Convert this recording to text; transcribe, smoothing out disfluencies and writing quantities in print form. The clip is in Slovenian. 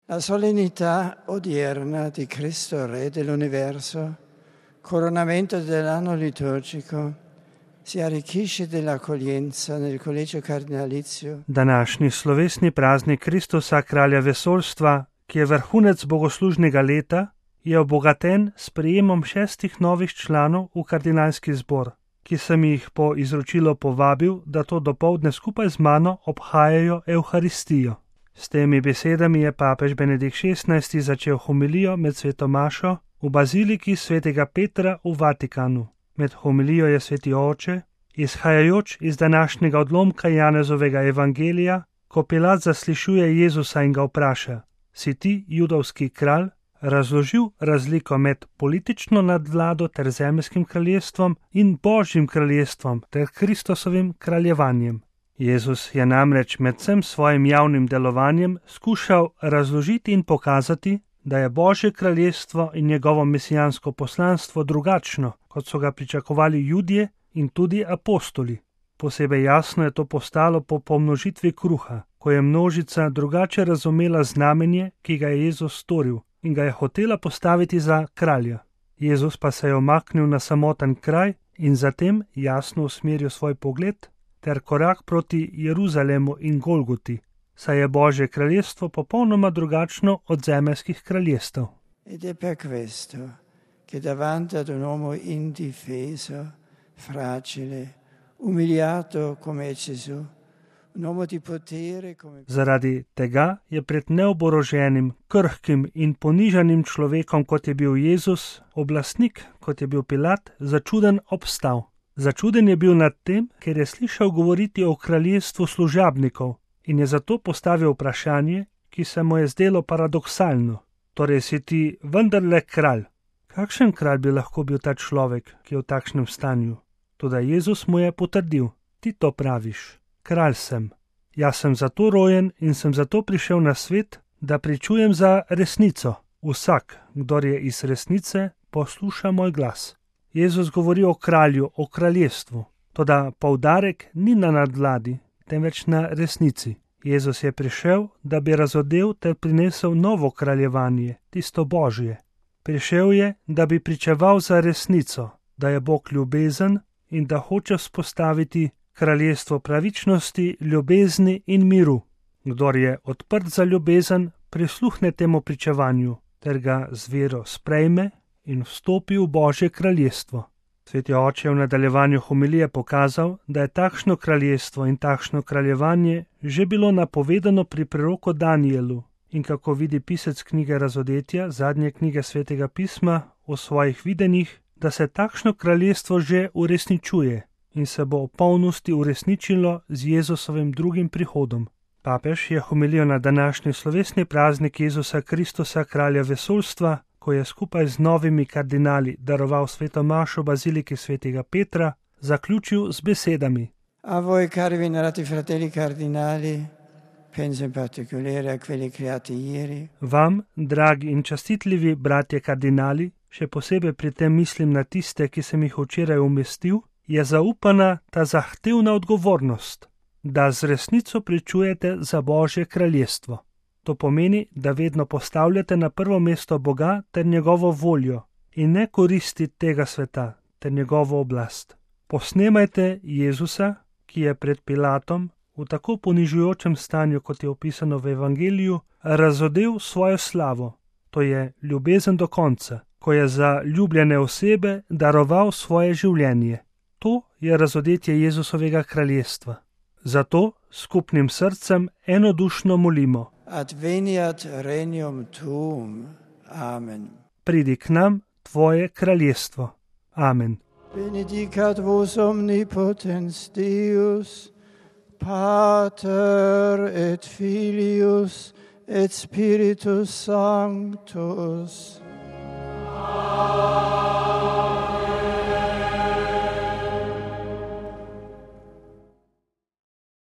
La solennità odierna di Cristo Re dell'universo, coronamento dell'anno liturgico, si arricchisce dell'accoglienza nel collegio cardinalizio. Današnji slovesni praznik Kristusa, kralja vesoljstva, ki je vrhunec bogoslužnega leta, je obogaten s prejemom 6 novih članov v kardinalski zbor, ki sem jih po izročilu povabil, da to dopoldne skupaj z mano obhajajo Evharistijo. S temi besedami je papež Benedikt XVI začel homilijo med sveto mašo v baziliki svetega Petra v Vatikanu. Med homilijo je sveti oče, izhajajoč iz današnjega odlomka Janezovega evangelija, ko Pilat zaslišuje Jezusa in ga vpraša: si ti judovski kralj, razložil razliko med politično nadvlado ter zemeljskim kraljestvom in Božjim kraljestvom ter Kristusovim kraljevanjem. Jezus je namreč med vsem svojim javnim delovanjem skušal razložiti in pokazati, da je Božje kraljestvo in njegovo mesijansko poslanstvo drugačno, kot so ga pričakovali Judje in tudi apostoli. Posebej jasno je to postalo po pomnožitvi kruha, ko je množica drugače razumela znamenje, ki ga je Jezus storil in ga je hotela postaviti za kralja. Jezus pa se je omaknil na samoten kraj in zatem jasno usmeril svoj pogled ter korak proti Jeruzalemu in Golgoti, saj je Božje kraljestvo popolnoma drugačno od zemeljskih kraljestev. Ed è per questo che davanti ad un uomo indifeso, fragile, umiliato come è Gesù, un uomo di potere come... Zaradi tega je pred neoboroženim, krhkim in ponižanim človekom, kot je bil Jezus, oblastnik, kot je bil Pilat, začuden obstal. Začuden je bil nad tem, ker je slišal govoriti o kraljestvu služabnikov in je zato postavil vprašanje, ki se mu je zdelo paradoksalno. Torej si ti vendarle kralj. Kakšen kralj bi lahko bil ta človek, ki je v takšnem stanju? Toda Jezus mu je potrdil: ti to praviš, kralj sem. Jaz sem zato rojen in sem zato prišel na svet, da pričujem za resnico. Vsak, kdor je iz resnice, posluša moj glas. Jezus govori o kralju, o kraljestvu, toda poudarek ni na nadvladi, temveč na resnici. Jezus je prišel, da bi razodel ter prinesel novo kraljevanje, tisto Božje. Prišel je, da bi pričeval za resnico, da je Bog ljubezen in da hoče vzpostaviti kraljestvo pravičnosti, ljubezni in miru. Kdor je odprt za ljubezen, prisluhne temu pričevanju ter ga z vero sprejme in vstopi v Božje kraljestvo. Sveti oče je v nadaljevanju homilije pokazal, da je takšno kraljestvo in takšno kraljevanje že bilo napovedano pri preroku Danielu in kako vidi pisec knjige Razodetja, zadnje knjige Svetega pisma, v svojih videnjih, da se takšno kraljestvo že uresničuje in se bo v polnosti uresničilo z Jezusovim drugim prihodom. Papež je homilijo na današnji slovesni praznik Jezusa Kristusa, kralja vesoljstva, ko je skupaj z novimi kardinali daroval sveto mašo v baziliki svetega Petra, zaključil z besedami: A voi, cari venerati fratelli cardinali, penso in particolare a quelli creati ieri. Vam, dragi in častitljivi bratje kardinali, še posebej pri tem mislim na tiste, ki sem jih včeraj umestil, je zaupana ta zahtevna odgovornost, da z resnico pričujete za Božje kraljestvo. To pomeni, da vedno postavljate na prvo mesto Boga ter njegovo voljo in ne koristi tega sveta ter njegovo oblast. Posnemajte Jezusa, ki je pred Pilatom v tako ponižujočem stanju, kot je opisano v evangeliju, razodel svojo slavo, to je ljubezen do konca, ko je za ljubljene osebe daroval svoje življenje. To je razodetje Jezusovega kraljestva. Zato skupnim srcem enodušno molimo: Adveniat regnum tuum. Amen. Pridi k nam tvoje kraljestvo. Amen. Benedicat vos omnipotens Deus, Pater et Filius et Spiritus Sanctus. Amen.